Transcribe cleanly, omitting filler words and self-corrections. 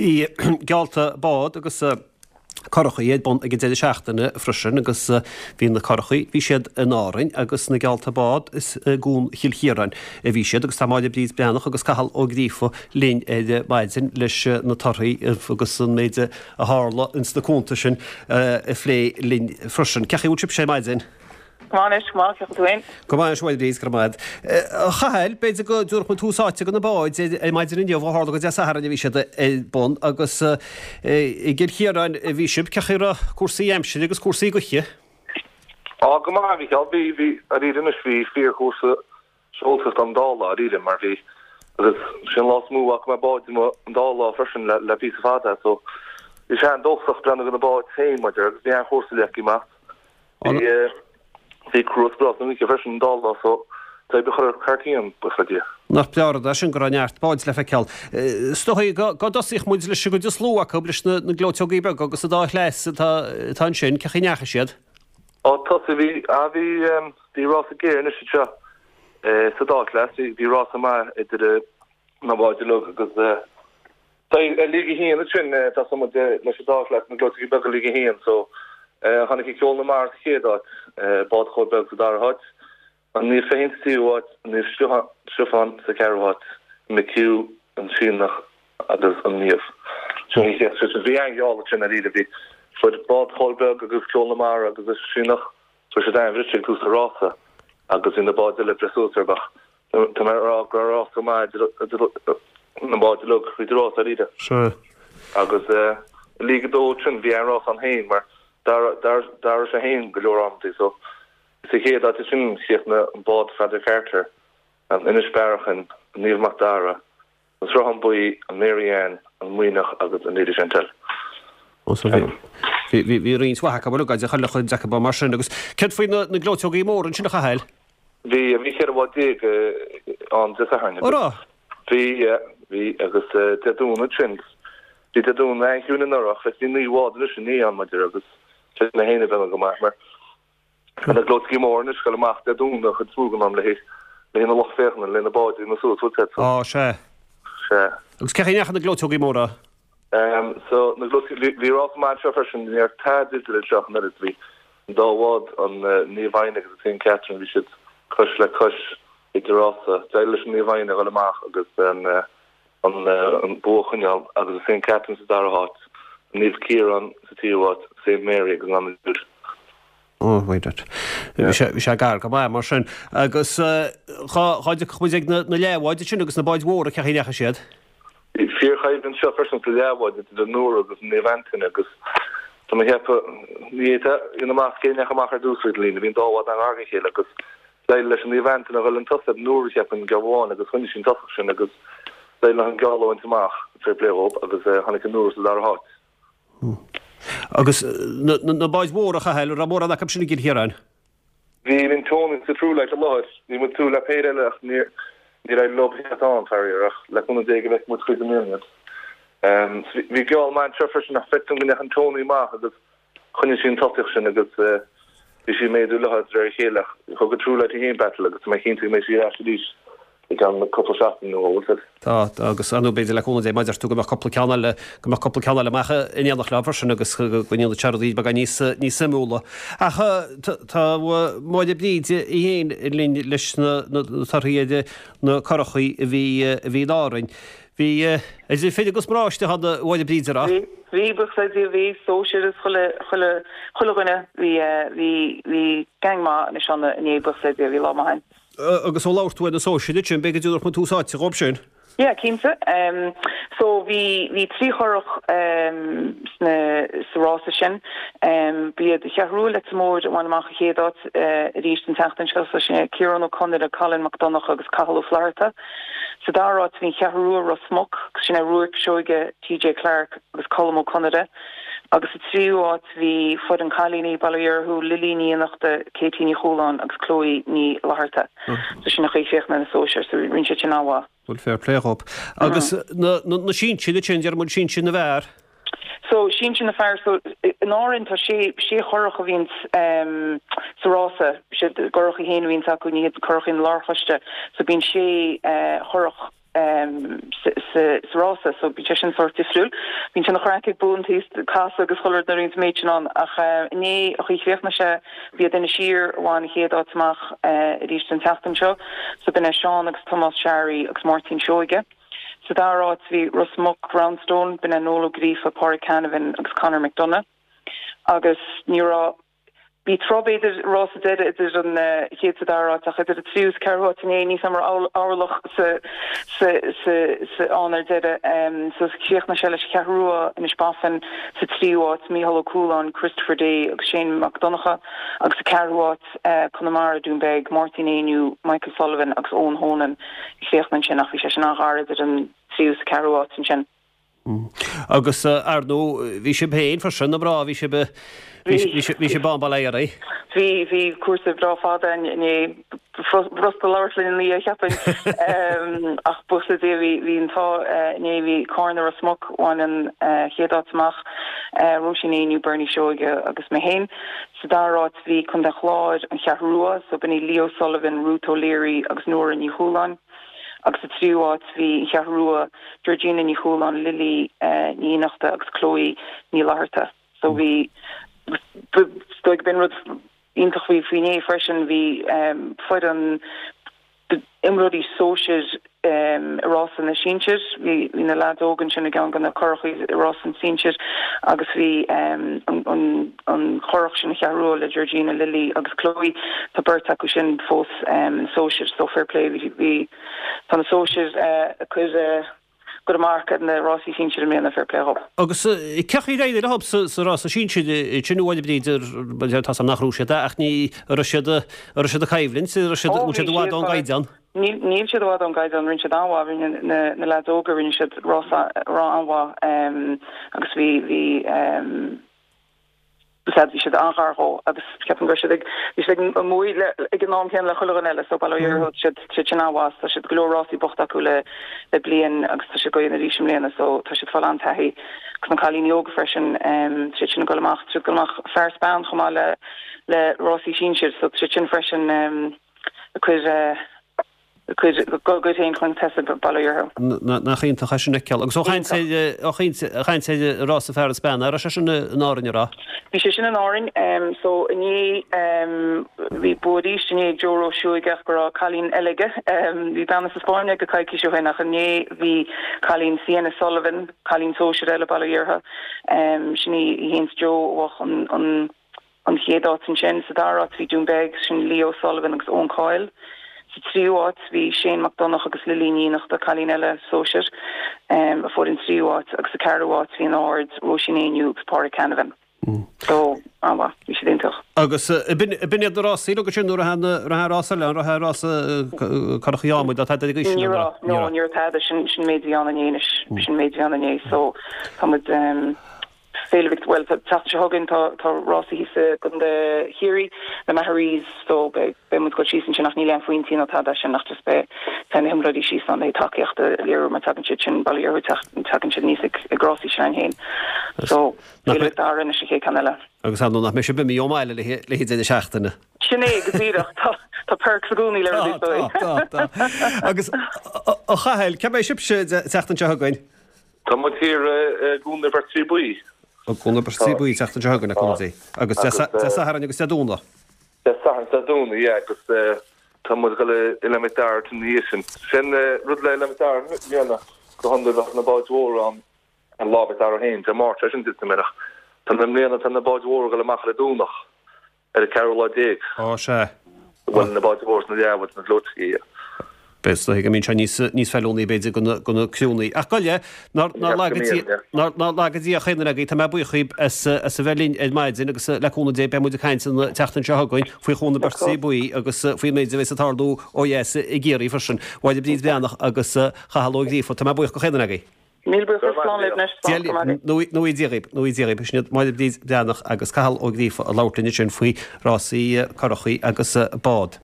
Bhí geallta bád agus curachaí ar bun ag an deireadh seachtaine freisin agus bhí na curachaí, bhí siad in Árainn agus na geallta bád is i gCuan Chill Chiaráin a bhí siad agus tá Máire Bríd Breathnach agus Cathal Ó Gríofa linn ar maidin leis na torthaí agus an méid a tharla ins na cuanta sin a phlé linn freisin. Cén chaoi a bhfuil sibhse ar maidin? Go maith anois, go maith, cén chaoi tú féin? Go maith anois, a Mháire Bríd, go raibh maith agat. A Chathail, b'fhéidir go dtabharfadh muid tús áite do na báid ar maidin inniu, ó tharla gur Dé Sathairn a bhí siad ar bun agus i gCill Chiaráin a bhí sibh. Cén chaoi a raibh cúrsaí aimsire agus cúrsaí gaoithe? Á, go maith, a Mhícheál. Bhí, bhí, dáiríre anois, bhí fíorchúrsa seoltóireachta an dá lá, dáiríre, mar bhí, agus sin an lá is mó a bhfaca mé báid amuigh an dá lá freisin le, le píosa fada, so bhí sé an-dóchasach breathnú ar na báid féin, maidir, agus bhí an-chúrsa le feiceáil amach. Bhí, bhí cruas breá san oíche freisin an dá lá, so d'oibrigh chuile rud ceart againn, buíochas le Dia. Nach breá an rud é sin go raibh neart báid le feiceáil. Is dóigh go, go dtosaíodh muid leis an gcuid is lú acu, leis na, na gleoiteogaí beaga agus an dá chleas atá, atá ansin, cén chaoi a ndeachaigh siad? Ó tosaigh, bhí, ah bhí, bhí rása géar anois anseo sa dá chleas, bhí, bhí rása maith idir na báid uilig agus i League 1 ansin tá muid leis an dá chleas, na gleoiteogaí beaga League 1 so tháinig Ceol na Mara sa chéad áit, Bád Chóil Beag sa dara háit, An Naomh Feichín sa tríú háit, an Naomh Stiofán sa cheathrú háit, McHugh, an Síneach agus an Naomh. Sin an chéad sin. Bhí an-gheall ansin dáiríre. Bhí fuair Bád Chóil Beag agus Ceol na Mara agus an Síneach, fuair siad an-bhriseadh ag tús an rása agus bhí na báid eile ag breith suas orthu ach tá mé ag rá go raibh rása maith idir na báid uilig thríd an rás dáiríre. Sea. Agus i League 2 ansin bhí an-rás ann féin mar d'athraigh sé féin go leor amantaí so Sa chéad áit ansin chríochnaigh an bád Pheadar Carter, an Inis Bearachain, an Naomh Mac Dara, an Sruthán Buí, an Mary Ann, an Muimhneach agus an Lady Chantel. Ó so bhí, bhí, bhí roinnt mhaith acu uilig, idir chuile chuid acu mar sin. Agus céard faoi na, na gleoiteogaí móra ansin a Chathail? Bhí, bhí 14 bhád ann Dé Sathairn agus. Ó raibh? Bhí, bhí, agus Dé Domhnaigh ansin, bhí Dé Domhnaigh an-chiúin anuraidh ach bhí 9 bhád anois inné ann maidir agus sin é féin a bheith go maith mar Tá na gleoiteogaí móra anois ag dul amach Dé Domhnaigh an chuid is mó den am le haghaidh na lucht féachana, le na báid a dhéanamh suas, bhfuil 'fhios a'd. Á, sea. Sea. Agus cén chaoi a ndeachaigh na gleoiteogaí móra? So, na gleoiteogaí, bhí rás maith anseo freisin, ní raibh tada idir anseo ach an oiread. Bhí an dá bhád, an Naomh Foidhne agus an Saint Catherine, bhí siad cois le cois idir rása. D'éirigh leis an Naomh Foidhne a dhul amach agus an an bua a choinneáil agus an Saint Catherine sa dara háit, an Naomh Ciarán sa tríú háit, Saint Mary agus an Anna Jude. Oh, wait a Bhí sé, bhí sé gar go maith mar sin. Agus dhá, dhá dtiocfadh muid ag na, na leathbháid ansin agus na báid mhóra, cén chaoi a ndeachaigh siad? Bhí fíorchoimhlint anseo freisin sa leathbháid idir an Nora agus an Naomh Antaine agus tá mé ag ceapadh, ní fhéadfá a dhéanamh amach cé a ndeachaigh amach ar dtús tríd an líne, bhí an dá bhád an-ghar dá chéile agus d'éirigh leis an Naomh Antaine a dhul chun tosaigh ar an Nora cheapfainn geábh amháin agus choinnigh sí an tosach sin agus d'éirigh leo an geall a bhaint amach, fair play dhóibh, agus tháinig an Nora sa dara háit. Agus na báid mhóra, a Chathail, an raibh mórán acu sin i gCill Chiaráin? Bhí an Tony sa True Light i láthair. Bhí muid ag súil le péire eile ach níor éirigh leo theacht ann, faraor, ach le cúnamh Dé go bhfeicfidh muid chuige i mbliana iad. Bhí geall maith anseo freisin ach feictear dom go ndeachaigh an Tony amach agus Choinnigh sí an tosaíocht sin agus bhí sí ag méadú léi de réir a chéile ach thug an True Light í féin battle agus tá mé cinnte go mbeidh sí ar ais arís i gceann cúpla seachtain nó bhfuil 'fhios a'd. Tá, agus ar ndóigh b'fhéidir le cúnamh Dé mar a deir tú go mbeadh cúpla ceann eile, go mbeadh cúpla ceann eile amach in éineacht leo freisin agus go ndéanfaidh sé rudaí beagán níos, níos suimiúla. Ach tá Máire Bríd í féin linn leis na torthaí ar na curachaí a bhí, a bhí in Árainn. Bhí idir fir agus mná istigh ann a Mháire Bríd, an raibh? Bhí, bhí, buíochas le Dia, bhí, sóisir is chuile, chuile, chuile dhuine, bhí, bhí, bhí gang maith anois ann inné, buíochas le Dia, bhí lá maith ann. Agus ó labhair tú ar na sóisir ansin, b'fhéidir go dtabharfadh muid tús áite dhóibh sin? Yeah, cinnte. So bhí, bhí 3 churach sna, sa rása sin. Ba iad Cheathrú Rua Leitir Móir a bhain amach an chéad áit arís an tseachtain seo, so sin é Ciarán Ó Conaire, Colin Mac Donncha agus Cathal Ó Flatharta. Sa dara háit bhí an Cheathrú Rua, Ros Muc, agus sin é Ruairc Seoige, TJ Clarke agus Colm Ó Conaire. Agus sa tríú háit bhí foireann cailíní Baile Uí Mhurchú, Lily Ní Fhiannachta, Katie Ní Chualáin agus Chloe Ní Fhlatharta. So sin an chaoi a chríochnaigh na sóisir, so rinne siad sin an-mhaith. Bhuel, fair play dhób. Agus na sinsir ansin, déarfaidh muid sinsir na bhfear. So, sinsir na fear, so, in Árainn tá sé, sé churach a bhíonns sa rása, sé a gcurachaí féin a bhíonns acu, ní hiad curachaí na lárchoiste, so bíonn sé churach. Sa rása so bíonn sé sin sórt difriúil. Bíonn sé ina chraic ag buantaí casadh agus chuile rud nuair a bhíonn an méid sin ann ach inné an chaoi a chríochnaigh sé b'iad Inis Oírr a bhain an chéad áit amach arís an tseachtain seo so b'in é Seán agus Tomás Sharry agus Máirtín Seoige. Sa dara áit bhí Ros Muc Roundstone, b'in é Noel Ó Gríofa, Pádraig Canavan agus Conor McDonagh agus ní raibh Bhí troid b'fhéidir rása deiridh idir an chéad is an dara áit ach idir an tríú is ceathrú háit inné níl a fhios agam an raibh orlach sa sa sa sa ann ar deireadh. So chríochnaigh sé leis an Cheathrú Rua, Inis Bafain sa tríú háit, Mícheál Ó Cualáin, Christopher Day agus Shane Mac Donncha agus sa ceathrú háit Conamara, Dún Beag, Máirtín Éinniú, Michael Sullivan agus Eoin Honan a chríochnaigh ansin ach bhí sé sin an-ghar idir an tríú is an ceathrú háit ansin. Agus, ar ndóigh, bhí sibh féin freisin, na mná, bhí sibh, bhí sibh ann, bail ó Dhia oraibh. Bhí, bhí cúrsa breá fada againn inné, b'fhurasta labhairt linn ina dhiaidh, cheapfainn. Ach buíochas le Dia, bhí, bhí an t-ádh inné, bhí Cárna Ros Muc, bhain an chéad áit amach, Róisín Éinniú, Bernie Seoige agus mé féin. Sa dara háit bhí Contae an Chláir, An Cheathrú Rua, so b'in í Leo Sullivan, Ruth O'Leary agus Nóra Ní Chualáin. Agus sa tríú háit bhí An Cheathrú Rua, Georgina Ní Chualáin, Lily Ní Fhiannachta agus Chloe Ní Fhlatharta. So bhí, is dóigh b'in rud iontach faoi faoi inné freisin, bhí foireann imreoirí sóisir i rása na sinsir, bhí na leaids óga ansin i gceann de na curachaí i rása na sinsir agus bhí an an churach sin, An Cheathrú Rua le Georgina, Lily agus Chloe, tá beirt acu sin fós sna sóisir so fair play bhí bhí tá na sóisir ag cur gcur a marc ar na rásaí sinsir i mbliana fair play dhób. Agus cén chaoi ar éirigh leo sa rása sinsir sin a Mháire Bríd ar tá 's agam nach raibh siad ach ní raibh siad raibh siad ag coimhlint raibh siad bhfuil siad i bhfad ón gcaighdeán? Níl níl siad i bhfad ón gcaighdeán rinne siad an-mhaith rinne na na leaids óga rinne siad rása an-mhaith agus bhí bhí Sea, bhí siad an-ghar dhó agus ceapaim go raibh siad ag, bhí siad ag amuigh le, ag an am céanna le chuile dhuine eile so bail ó Dhia orthu, tá siad, tá siad sin an-mhaith, tá siad go leor rásaí bochta acu le, le bliain agus tá siad ag dul arís i mbliana so tá siad ag fáil an-taithí agus na cailíní óga freisin, tá siad sin ag dul amach, tá siad ag dul amach fear is bean chomh maith le, le rásaí sinsir so tá siad sin freisin ag cur, ag cur a gcuid féin chun tosaigh bail ó Dhia orthu. Nach iontach é sin a fheiceáil. Agus ó chaint ar, ó chaint, chaint ar rása fear is bean, an raibh sé sin in Árainn, an raibh? Bhí sé sin in Árainn. So inné, bhí bua arís inné ag Joe Ró Seoige ach go raibh cailín eile aige. Bhí bean as an Spáinn aige coicís ó shin ach inné bhí cailín Sienna Sullivan, cailín sóisir eile bail ó Dhia uirthi, sin í a théanns Joe a bhuaigh an, an, An chéad áit ansin. Sa dara háit bhí Dún Beag, sin Leo Sullivan agus Eoin Coyle. Sa tríú háit bhí Shane Mac Donncha agus Lily Ní Fhiannachta, cailín eile sóisir, a fuair an tríú háit agus sa ceathrú háit bhí an Aird, Róisín Éinniú agus Pádraig Canavan. So, an-mhaith. Bhí siad iontach. Agus b'in iad na rásaí uilig ansin, nó an raibh rás eile, an raibh rása curachaí adhmaid ná tada ag aois sin? Ní raibh, no, ní raibh tada, sin an méid a bhí ann inné anois, sin an méid a bhí ann inné. So, tá muid, Féile Mhic, bhuel, tá tseachtain seo chugainn tá tá rásaí thíos i gContae Chiarraí, na Maharees, so beidh beidh muid ag dul síos ansin ach níl aon phointí ná tada as sin ach just beidh beidh na himreoirí síos ann le tacaíocht a léiriú mar tagann siad sin bail ó Dhia orthu tagann siad aníos ag ag rásaí sin againn féin. So Féile Mhic Dara anois an chéad ceann eile. Agus ar ndóigh nach mbeidh sibh imithe ón mbaile le haghaidh deireadh seachtaine. Sin é go díreach. Tá tá perks i gcónaí le rudaí Tá tá tá. Agus a Chathail, cá mbeidh sibhse an tseachtain seo chugainn? Tá muid thiar i gCuan na Beirtrí Buí. I gCuan na Beirtrí Buí an tseachtain seo chugainn, a Cúnamh Dé. Agus Dé Sathairn agus Dé Domhnaigh. Dé Sathairn is Dé Domhnaigh, yeah, agus tá muid ag dul i Oileán Mhic Dara ina dhiaidh sin. Sin rud le Oileán Mhic Dara i mbliana, go hiondúil bheadh na báid mhóra ann ar Lá Mhic Dara féin, Dé Máirt é sin duit, mbeadh. Tá na i mbliana tá na báid mhóra ag dul amach ar an Domhnach. Ar an ceathrú lá déag. Á, sea. Bhuel, na báid mhóra is na leathbháid na gleoiteacha, yeah. Beidh, is dóigh go mbíonn sé níos, níos feiliúnaí, b'fhéidir, do na, do na criúnnaí. Ach gabh i leith, nár, nár laga Dia, nár, nár laga Dia chaon duine agaibh, tá mé buíoch dhaoib as, as a bheith linn ar maidin agus le cúnamh Dé beidh muid ag caint an tseachtain seo chugainn faoi Chuan na Beirtrí Buí agus faoin méid a bheas ag tarlú ó dheas i gCiarraí freisin. Mháire Bríd Bhreathnach agus Cathal Ó Gríofa, tá mé buíoch go chaon duine agaibh. Míle buíochas, slán libh anois, slán go maidin. Go ngnóthaí Dia dhaoib, go ngnóthaí Dia dhaoib. Sin iad Máire Bríd Bhreathnach agus Cathal Ó Gríofa ag labhairt linn ansin faoi rásaí curachaí agus bád.